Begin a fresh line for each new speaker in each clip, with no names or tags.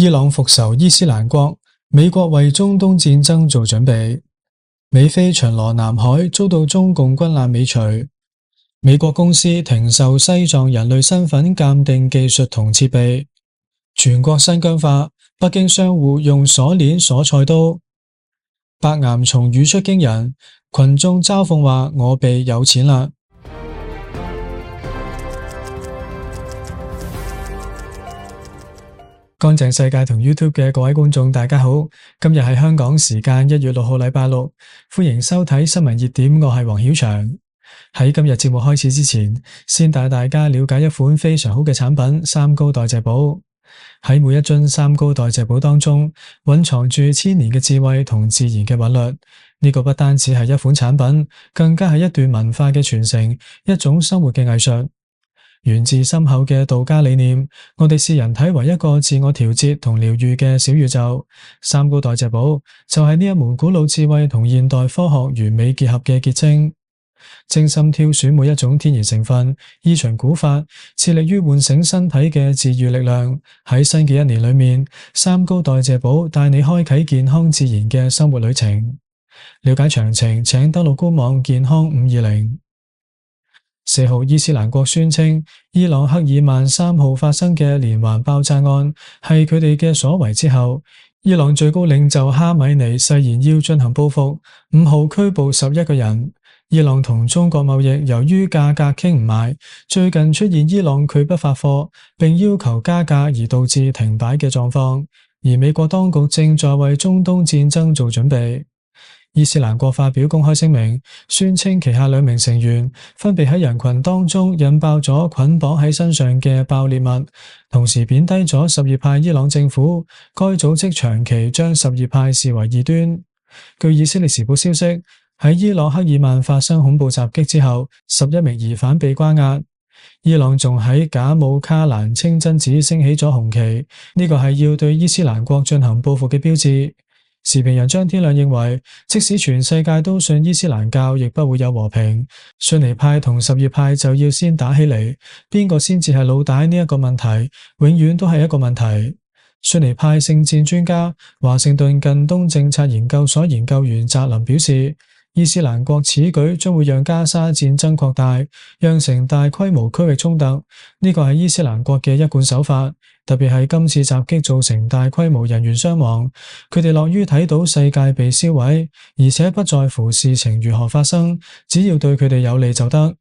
伊朗復仇伊斯蘭國，美國為中東戰爭做準備。美菲巡邏南海遭到中共軍艦尾隨。美國公司停售西藏人類身份鑑定技術同設備。全國新疆化，北京商戶用鎖鏈鎖菜刀。白岩松語出驚人，群眾嘲諷話我被有錢啦。乾淨世界同 YouTube 嘅各位觀眾大家好，今日係香港時間1月6號禮拜六，歡迎收睇新聞熱點，我係黃曉翔。喺今日節目開始之前，先帶大家了解一款非常好嘅產品——三高代謝寶。喺每一樽三高代謝寶當中，蘊藏住千年嘅智慧同自然嘅韻律。呢個不單止係一款產品，更加係一段文化嘅傳承，一種生活嘅藝術。源自深厚嘅道家理念，我哋視人體為一個自我調節同療癒嘅小宇宙。三高代謝寶就係呢一門古老智慧同現代科學完美結合嘅結晶。精心挑選每一種天然成分，依循古法，致力於喚醒身體嘅治癒力量。喺新嘅一年裏面，三高代謝寶帶你開啟健康自然嘅生活旅程。了解詳情，請登錄官網健康520。4號伊斯蘭國宣稱，伊朗克爾曼3號發生嘅連環爆炸案係佢哋嘅所為之後，伊朗最高領袖哈米尼誓言要進行報復。5號拘捕11個人。伊朗同中國貿易由於價格傾唔埋，最近出現伊朗拒不發貨並要求加價而導致停擺嘅狀況。而美國當局正在為中東戰爭做準備。伊斯蘭國發表公開聲明，宣稱旗下2名成員分別喺人群當中引爆咗捆綁喺身上嘅爆裂物，同時貶低咗什葉派伊朗政府。該組織長期將什葉派視為異端。據以色列時報消息，喺伊朗克爾曼發生恐怖襲擊之後，11名疑犯被關押。伊朗仲喺賈姆卡蘭清真寺升起咗紅旗，呢個係要對伊斯蘭國進行報復嘅標誌。時評人張天亮認為，即使全世界都信伊斯蘭教，亦不會有和平。遜尼派同什葉派就要先打起嚟，邊個先至係老大呢一個問題，永遠都係一個問題。遜尼派聖戰專家、華盛頓近東政策研究所研究員澤林表示，伊斯蘭國此舉將會讓加沙戰爭擴大，釀成大規模區域衝突。呢個係伊斯蘭國嘅一貫手法，特別係今次襲擊造成大規模人員傷亡，佢哋樂於睇到世界被燒毀，而且不在乎事情如何發生，只要對佢哋有利就得。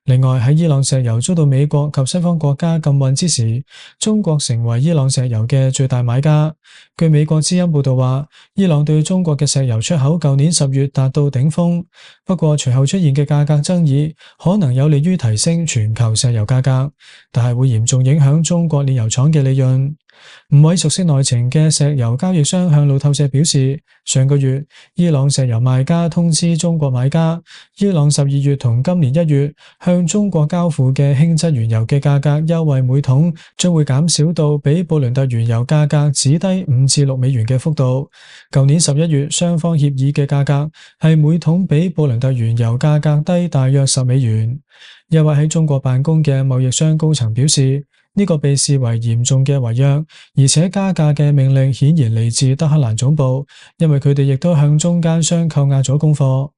另外，喺伊朗石油遭到美國及西方國家禁運之時，中國成為伊朗石油嘅最大買家。據美國之音報道話，伊朗對中國嘅石油出口舊年10月達到頂峰，不過隨後出現嘅價格爭議可能有利於提升全球石油價格，但係會嚴重影響中國煉油廠嘅利潤。5位熟悉內情嘅石油交易商向路透社表示，上個月伊朗石油賣家通知中國買家，伊朗12月同今年1月向中國交付嘅輕質原油嘅價格優惠每桶將會減少到比布倫特原油價格只低5至6美元嘅幅度。舊年11月雙方協議嘅價格係每桶比布倫特原油價格低大約10美元。一位喺中國辦公嘅貿易商高層表示，呢個被視為嚴重嘅違約，而且加價嘅命令顯然嚟自德黑蘭總部，因為佢哋亦都向中間商扣押咗供貨。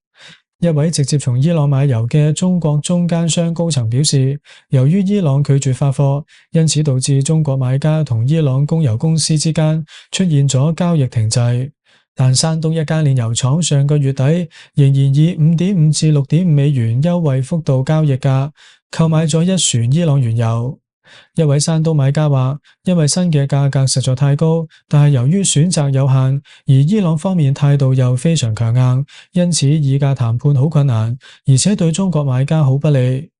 一位直接從伊朗買油嘅中國中間商高層表示，由於伊朗拒絕發貨，因此導致中國買家同伊朗供油公司之間出現咗交易停滯。但山東一間煉油廠上個月底仍然以5.5至6.5美元優惠幅度交易價購買咗1船伊朗原油。一位山東買家話，因為新嘅價格實在太高，但係由於選擇有限，而伊朗方面態度又非常強硬，因此議價談判好困難，而且對中國買家好不利。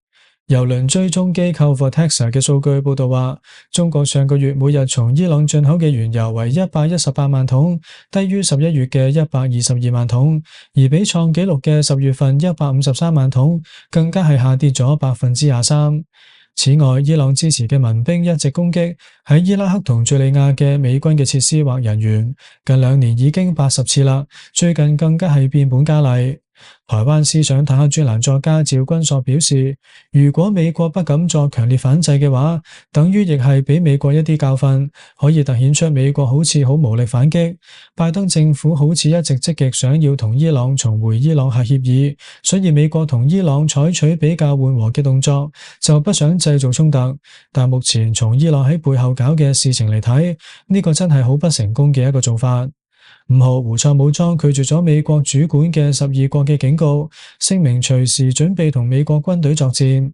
油輪追蹤機構 Vortexa 嘅數據報道話，中國上個月每日從伊朗進口嘅原油為118萬桶，低於11月嘅122萬桶，而比創紀錄嘅10月份153萬桶更加係下跌咗23%。此外，伊朗支持嘅民兵一直攻擊喺伊拉克同敘利亞嘅美軍嘅設施或人員，近2年已經80次啦，最近更加係變本加厲。台灣思想坦克專欄作家趙君朔表示，如果美國不敢作強烈反制嘅話，等於亦係俾美國一啲教訓，可以凸顯出美國好似好無力反擊。拜登政府好似一直積極想要同伊朗重回伊朗核協議，所以美國同伊朗採取比較緩和嘅動作，就不想製造衝突。但目前從伊朗喺背後搞嘅事情嚟睇，呢個真係好不成功嘅一個做法。5號，胡塞武裝拒絕咗美國主管嘅12國嘅警告，聲明隨時準備同美國軍隊作戰。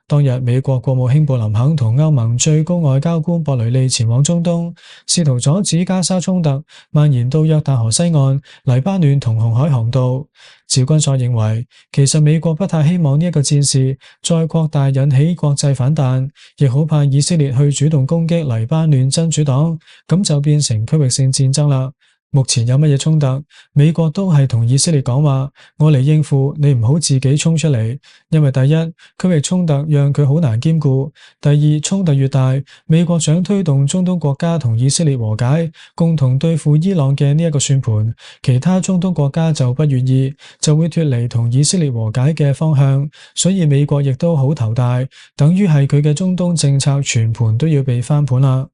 當日，美國國務卿布林肯同歐盟最高外交官博雷利前往中東，試圖阻止加沙衝突蔓延到約旦河西岸、黎巴嫩同紅海航道。趙君朔認為，其實美國不太希望呢一個戰事再擴大引起國際反彈，亦好怕以色列去主動攻擊黎巴嫩真主黨，咁就變成區域性戰爭啦。目前有乜嘢衝突，美國都係同以色列講話，我嚟應付，你唔好自己衝出嚟。因為第一，區域衝突讓佢好難兼顧；第二，衝突越大，美國想推動中東國家同以色列和解，共同對付伊朗嘅呢一個算盤，其他中東國家就不願意，就會脫離同以色列和解嘅方向。所以美國亦都好頭大，等於係佢嘅中東政策全盤都要被翻盤啦。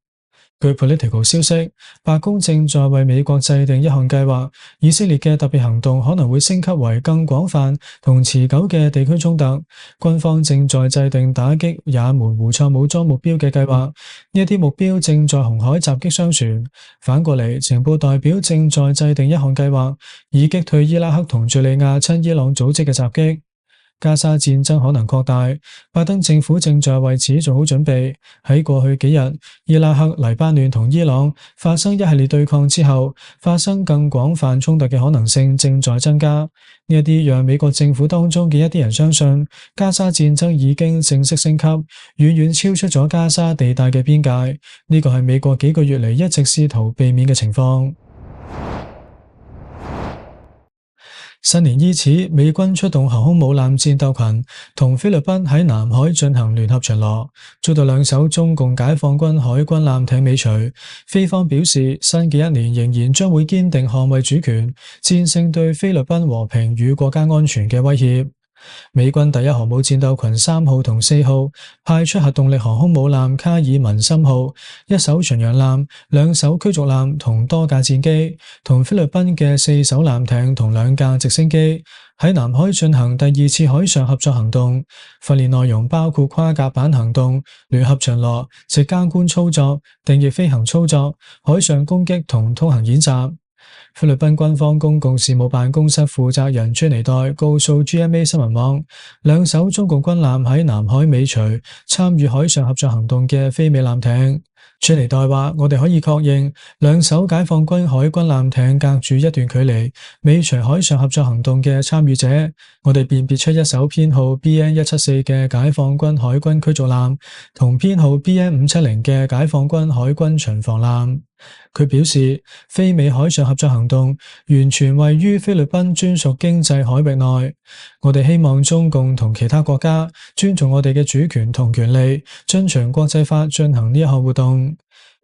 據 Political 消息，白宮正在為美國制定一項計劃，以色列嘅特別行動可能會升級為更廣泛同持久嘅地區衝突。軍方正在制定打擊也門胡塞武裝目標嘅計劃，呢一啲目標正在紅海襲擊商船。反過嚟，情報代表正在制定一項計劃，以擊退伊拉克同敘利亞親伊朗組織嘅襲擊。加沙戰爭可能擴大，拜登政府正在為此做好準備。喺過去幾日，伊拉克、黎巴嫩同伊朗發生一系列對抗之後，發生更廣泛衝突嘅可能性正在增加。呢一啲讓美國政府當中嘅一啲人相信，加沙戰爭已經正式升級，遠遠超出咗加沙地帶嘅邊界。呢個係美國幾個月嚟一直試圖避免嘅情況。新年伊始，美軍出動航空母艦戰鬥群，同菲律賓喺南海進行聯合巡邏，遭到2艘中共解放軍海軍艦艇尾隨。菲方表示，新嘅一年仍然將會堅定捍衛主權，戰勝對菲律賓和平與國家安全嘅威脅。美軍第一航母戰鬥群3號同4號派出核動力航空母艦卡爾文森號、1艘巡洋艦、2艘驅逐艦同多架戰機，同菲律賓嘅4艘艦艇同2架直升機喺南海進行第2次海上合作行動。訓練內容包括跨甲板行動、聯合巡邏、直監官操作、定翼飛行操作、海上攻擊同通行演習。菲律賓軍方公共事務辦公室負責人朱尼代告訴 GMA 新聞網，2艘中共軍艦喺南海尾隨參與海上合作行動嘅菲美艦艇。朱尼代話：我哋可以確認2艘解放軍海軍艦艇隔住一段距離尾隨海上合作行動嘅參與者。我哋辨別出1艘編號 BN174 嘅解放軍海軍驅逐艦同編號 BN570 嘅解放軍海軍巡防艦。佢表示，菲美海上合作行動完全位於菲律賓專屬經濟海域內。我哋希望中共同其他國家尊重我哋嘅主權同權利，遵循國際法進行呢一項活動。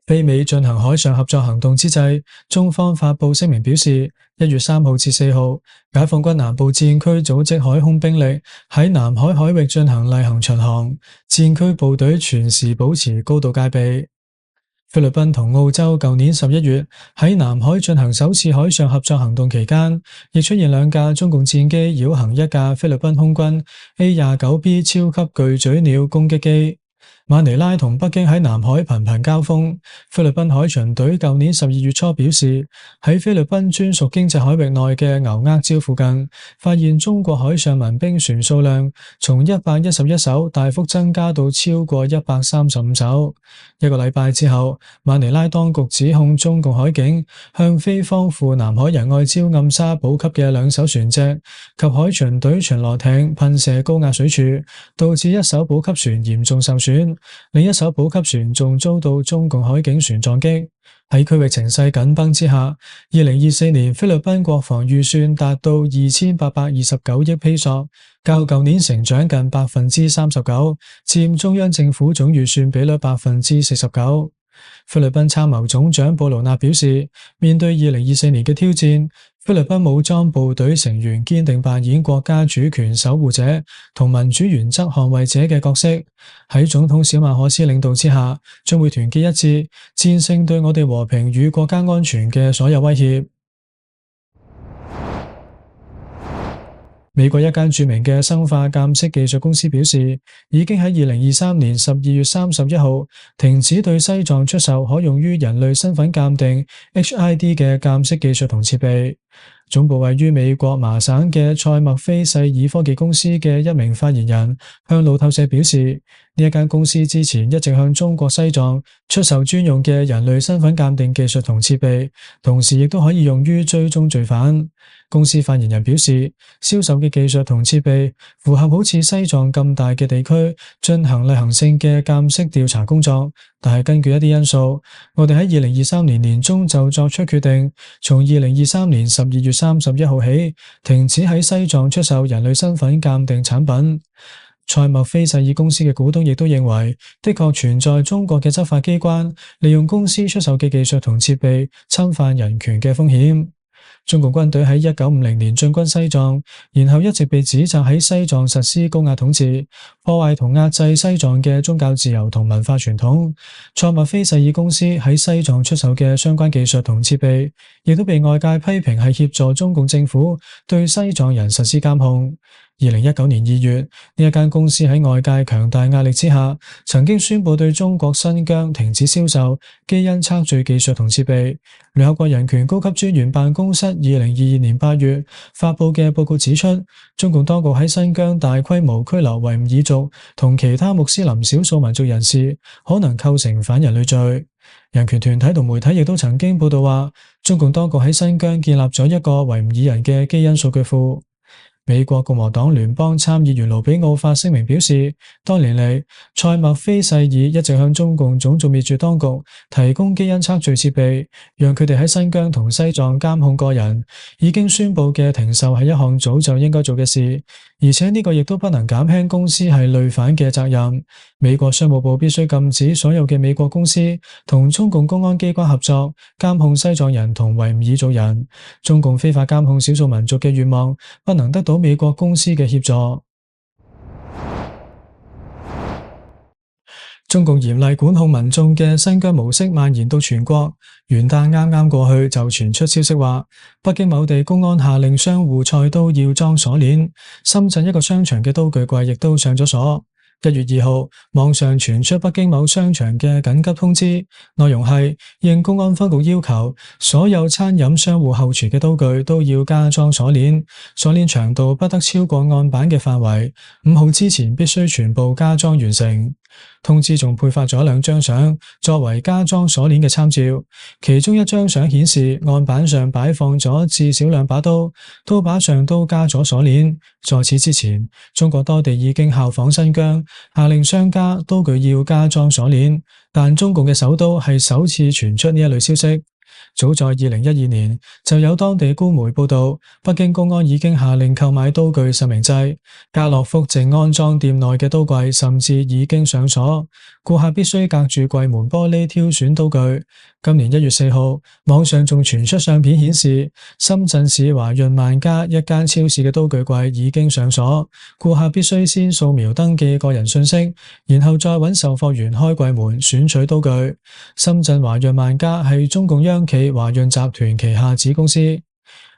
菲美進行海上合作行動之際，中方發布聲明表示，1月3號至4號，解放軍南部戰區組織海空兵力喺南海海域進行例行巡航，戰區部隊全時保持高度戒備。菲律賓同澳洲舊年11月喺南海進行首次海上合作行動期間，亦出現2架中共戰機繞行1架菲律賓空軍 A-29B 超級巨嘴鳥攻擊機。馬尼拉同北京喺南海頻頻交鋒。菲律賓海巡隊舊年12月初表示，喺菲律賓專屬經濟海域內嘅牛軛礁附近，發現中國海上民兵船數量從111艘大幅增加到超過135艘。1個禮拜之後，馬尼拉當局指控中共海警向菲方赴南海仁愛礁暗沙補給嘅2艘船隻及海巡隊巡邏艇噴射高壓水柱，導致1艘補給船嚴重受損。另1艘補給船仲遭到中共海警船撞擊。喺區域情勢緊繃之下，2024年菲律賓國防預算達到2829億披索，較舊年成長近39%，佔中央政府總預算比率49%。菲律賓參謀總長布魯納表示，面對2024年嘅挑戰，菲律賓武裝部隊成員堅定扮演國家主權守護者同民主原則捍衛者嘅角色，喺總統小馬可斯領導之下，將會團結一致，戰勝對我哋和平與國家安全嘅所有威脅。美國一間著名嘅生化鑑識技術公司表示，已經喺2023年12月31號停止對西藏出售可用於人類身份鑑定 HID 嘅鑑識技術同設備。總部位於美國麻省嘅賽默菲世爾科技公司嘅一名發言人向路透社表示，呢一間公司之前一直向中國西藏出售專用嘅人類身份鑑定技術同設備，同時亦都可以用於追蹤罪犯。公司發言人表示，銷售嘅技術同設備符合好似西藏咁大嘅地區進行例行性嘅鑑識調查工作，但係根據一啲因素，我哋喺2023年年中就作出決定，從2023年12月31號起停止喺西藏出售人類身份鑑定產品。賽默菲世爾公司嘅股東亦都認為，的確存在中國嘅執法機關利用公司出售嘅技術同設備侵犯人權嘅風險。中共軍隊喺1950年進軍西藏，然後一直被指責喺西藏實施高壓統治，破壞同壓制西藏嘅宗教自由同文化傳統。賽默菲世爾公司喺西藏出售嘅相關技術同設備，亦都被外界批評係協助中共政府對西藏人實施監控。2019年2月，呢一間公司喺外界強大壓力之下，曾經宣布對中國新疆停止銷售基因測序技術同設備。聯合國人權高級專員辦公室2022年8月發布嘅報告指出，中共當局喺新疆大規模拘留維吾爾族同其他穆斯林少數民族人士，可能構成反人類罪。人權團體同媒體亦都曾經報道話，中共當局喺新疆建立咗一個維吾爾人嘅基因數據庫。美國共和黨聯邦參議員盧比奧發聲明表示，多年嚟，賽默菲世爾一直向中共種族滅絕當局提供基因測序設備，讓佢哋喺新疆同西藏監控個人。已經宣布嘅停售係一項早就應該做嘅事，而且呢個亦都不能減輕公司係累犯嘅責任。美國商務部必須禁止所有嘅美國公司同中共公安機關合作監控西藏人同維吾爾族人。中共非法監控少數民族嘅願望不能得到美國公司嘅協助。中共嚴厲管控民眾嘅新疆模式蔓延到全國。元旦啱啱過去就傳出消息話，北京某地公安下令商戶菜刀要裝鎖鏈，深圳一個商場嘅刀具櫃亦都上咗鎖。1月2號，網上傳出北京某商場嘅緊急通知，內容係應公安分局要求，所有餐飲商戶後廚嘅刀具都要加裝鎖鏈，鎖鏈長度不得超過案板嘅範圍，5號之前必須全部加裝完成。通知仲配發咗2張相作為加裝鎖鏈嘅參照，其中一張相顯示案板上擺放咗至少2把刀，刀把上都加咗鎖鏈。在此之前，中國多地已經效仿新疆，下令商家刀具要加裝鎖鏈，但中共嘅首都係首次傳出呢一類消息。早在2012年，就有當地官媒報道，北京公安已經下令購買刀具實名制，家樂福靜安裝店內嘅刀櫃甚至已經上鎖，顧客必須隔住櫃門玻璃挑選刀具。今年1月4號，網上仲傳出相片顯示，深圳市華潤萬家一間超市嘅刀具櫃已經上鎖，顧客必須先掃描登記個人信息，然後再揾售貨員開櫃門選取刀具。深圳華潤萬家係中共央企華潤集團旗下子公司。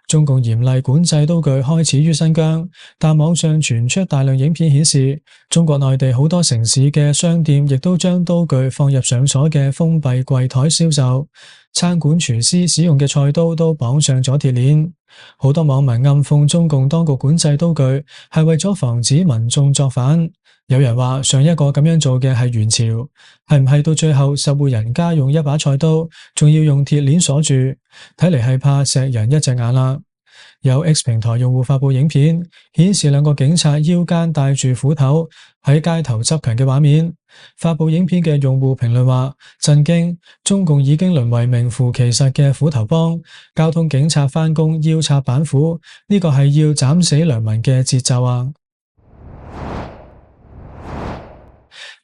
中共嚴厲管制刀具開始於新疆，但網上傳出大量影片顯示，中國內地好多城市嘅商店亦都將刀具放入上鎖嘅封閉櫃台銷售，餐館廚師使用嘅菜刀都綁上咗鐵鏈。好多網民暗諷中共當局管制刀具係為咗防止民眾作反。有人話上一個咁樣做嘅係元朝，係唔係到最後10戶人家用一把菜刀，仲要用鐵鏈鎖住？睇嚟係怕錫人一隻眼啦。有 X 平台用戶發佈影片，顯示2個警察腰間帶住斧頭喺街頭執勤嘅畫面。發佈影片嘅用戶評論話：震驚，中共已經淪為名副其實嘅斧頭幫，交通警察返工腰插板斧，呢個係要斬死良民嘅節奏啊！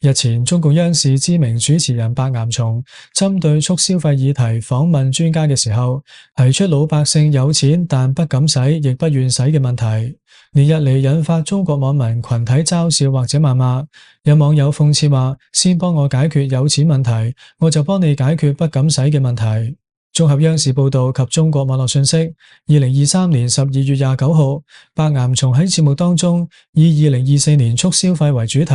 日前，中共央視知名主持人白岩松針對促消費議題訪問專家嘅時候，提出老百姓有錢但不敢使，亦不願使嘅問題，連日嚟引發中國網民群體嘲笑或者謾罵。有網友諷刺話：先幫我解決有錢問題，我就幫你解決不敢使嘅問題。綜合央視報道及中國網絡信息，2023年12月29號，白岩松喺節目當中以2024年促消費為主題，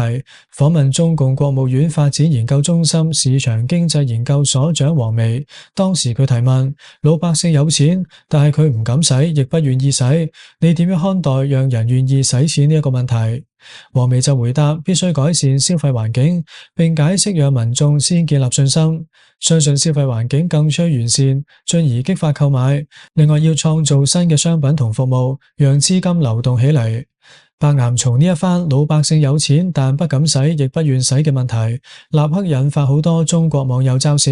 訪問中共國務院發展研究中心市場經濟研究所長王薇。當時佢提問：老百姓有錢，但係佢唔敢使，亦不願意使，你點樣看待讓人願意使錢呢一個問題？王薇就回答：必須改善消費環境，並解釋讓民眾先建立信心，相信消費環境更趨完善，進而激發購買。另外要創造新嘅商品同服務，讓資金流動起嚟。白岩松呢一番老百姓有錢但不敢使亦不願使嘅問題，立刻引發好多中國網友嘲笑。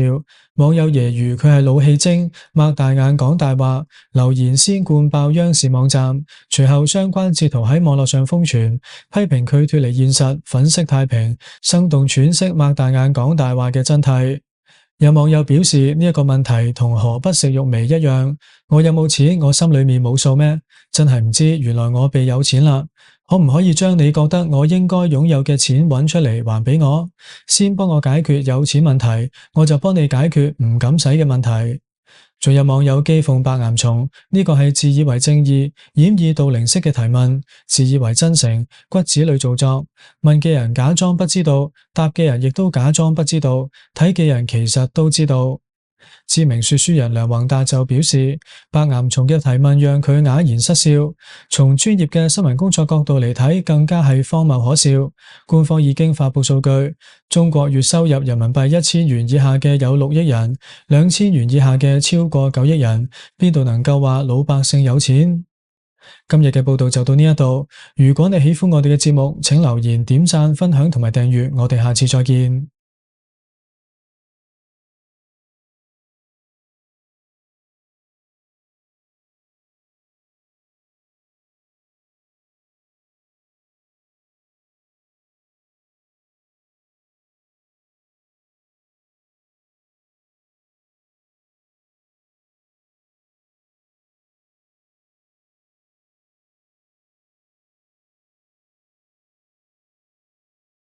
網友揶揄佢係老戲精，擘大眼講大話，留言先灌爆央視網站。隨後相關截圖喺網絡上瘋傳，批評佢脫離現實，粉飾太平，生動詮釋擘大眼講大話嘅真諦。有網友表示呢一個問題同何不食肉糜一樣，我有冇錢我心裏面冇數咩？真係唔知原來我被有錢啦。可唔可以將你覺得我應該擁有嘅錢揾出嚟還俾我？先幫我解決有錢問題，我就幫你解決唔敢使嘅問題。仲有網友譏諷白岩松，呢個係自以為正義、掩耳盜鈴式嘅提問，自以為真誠，骨子裏做作。問嘅人假裝不知道，答嘅人亦都假裝不知道，睇嘅人其實都知道。知名說書人梁宏達就表示，白岩松嘅提問讓佢啞然失笑。從專業嘅新聞工作角度嚟睇，更加係荒謬可笑。官方已經發佈數據，中國月收入人民幣1000元以下嘅有6億人，2000元以下嘅超過9億人，邊度能夠話老百姓有錢？今日嘅報道就到呢一度。如果你喜歡我哋嘅節目，請留言、點讚、分享同埋訂閱。我哋下次再見。